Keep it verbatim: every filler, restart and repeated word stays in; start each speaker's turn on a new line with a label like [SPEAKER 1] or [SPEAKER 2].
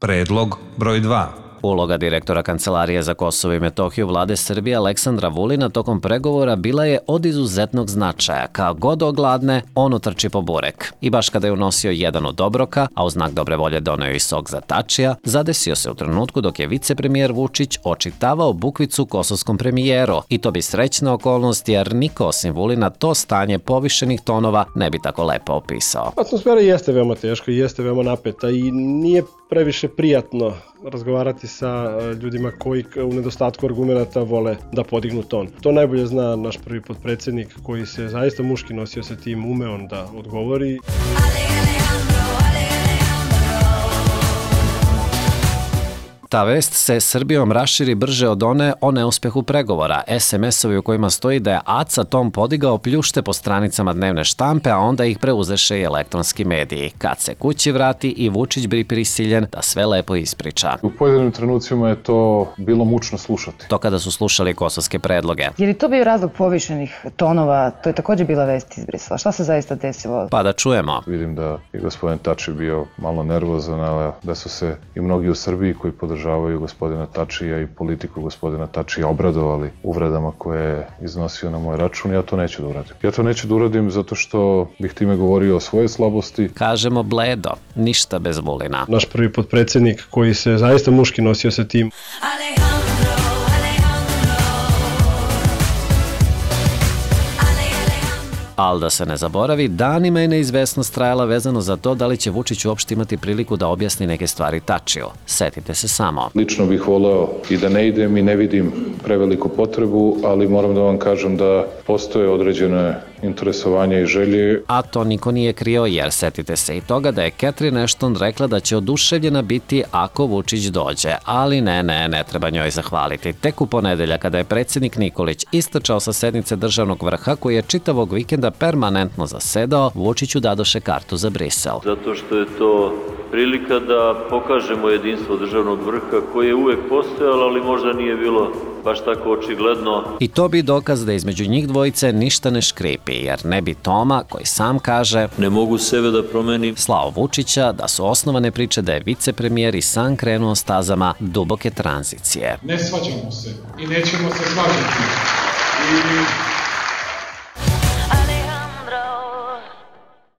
[SPEAKER 1] Predlog broj dva.
[SPEAKER 2] Uloga direktora Kancelarije za Kosovo i Metohiju vlade Srbije Aleksandra Vulina tokom pregovora bila je od izuzetnog značaja. Kad god ogladne, on utrči po burek. I baš kada je unosio jedan od obroka, a u znak dobre volje doneo i sok za Tačija, zadesio se u trenutku dok je vicepremijer Vučić očitavao bukvicu kosovskom premijeru. I to bi srećna okolnost jer niko osim Vulina to stanje povišenih tonova ne bi tako lepo opisao.
[SPEAKER 3] Atmosfera jeste veoma teška i jeste veoma napeta i nije previše prijatno razgovarati sa ljudima koji u nedostatku argumenata vole da podignu ton. To najbolje zna naš prvi potpredsednik koji se zaista muški nosio sa tim, ume on da odgovori.
[SPEAKER 2] Ta vest se Srbijom raširi brže od one o neuspehu pregovora. es em es-ovi u kojima stoji da je Aca Tom podigao pljušte po stranicama dnevne štampe, a onda ih preuzeše i elektronski mediji. Kad se kući vrati i Vučić bi prisiljen da sve lepo ispriča.
[SPEAKER 4] U pojedinim trenucima je to bilo mučno slušati.
[SPEAKER 2] To kada su slušali kosovske predloge.
[SPEAKER 5] Je li to bio razlog povišenih tonova? To je također bila vest iz Brisela. Šta se zaista desilo?
[SPEAKER 2] Pa da čujemo.
[SPEAKER 4] Vidim da je gospodin Tači bio malo nervozan, ali da su se i mnogi u Srbiji koji podržavaju gospodina Tačija i politiku gospodina Tačija obradovali uvredama koje je iznosio na moj račun. Ja to neću da uradim. Ja to neću da uradim zato što bih time govorio o svoje slabosti.
[SPEAKER 2] Kažemo bledo, ništa bez Vulina.
[SPEAKER 3] Naš prvi potpredsednik koji se zaista muški nosio sa tim.
[SPEAKER 2] Ali da se ne zaboravi, danima je neizvesnost trajala vezano za to da li će Vučić uopšte imati priliku da objasni neke stvari Tačiju. Setite se samo.
[SPEAKER 4] Lično bih voleo i da ne idem i ne vidim preveliku potrebu, ali moram da vam kažem da postoje određene interesovanja i želje.
[SPEAKER 2] A to niko nije krio jer setite se i toga da je Catherine Ashton rekla da će oduševljena biti ako Vučić dođe. Ali ne, ne, ne treba njoj zahvaliti. Tek u ponedelja kada je predsjednik Nikolić istrčao sa sednice državnog vrha koji je čitavog vikenda permanentno zasedao, Vučiću dadoše kartu za Brisel.
[SPEAKER 6] Zato što je to prilika da pokažemo jedinstvo državnog vrha koje je uvek postojalo, ali možda nije bilo baš tako očigledno.
[SPEAKER 2] I to bi dokaz da između njih dvojice ništa ne škripi, jer ne bi Toma, koji sam kaže
[SPEAKER 6] ne mogu sebe da promenim,
[SPEAKER 2] slao Vučića da su osnovane priče da je vicepremijer i sam krenuo stazama duboke tranzicije.
[SPEAKER 7] Ne svađamo se i nećemo se svađati. I